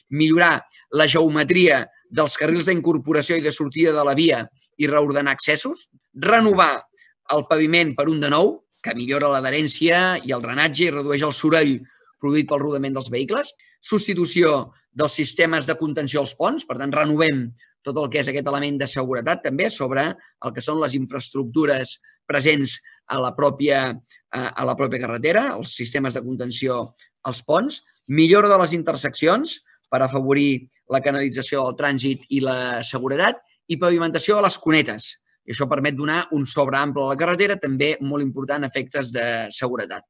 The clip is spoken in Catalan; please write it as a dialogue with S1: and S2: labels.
S1: millorar la geometria dels carrils d'incorporació i de sortida de la via i reordenar accessos, renovar el paviment per un de nou, que millora l'adherència i el drenatge i redueix el soroll produït pel rodament dels vehicles, substitució dels sistemes de contenció als ponts, per tant, renovem tot el que és aquest element de seguretat també sobre el que són les infraestructures presents a la pròpia carretera, els sistemes de contenció als ponts, millora de les interseccions per afavorir la canalització del trànsit i la seguretat i pavimentació de les cunetes. I això permet donar un sobreample a la carretera, també molt important a efectes de seguretat.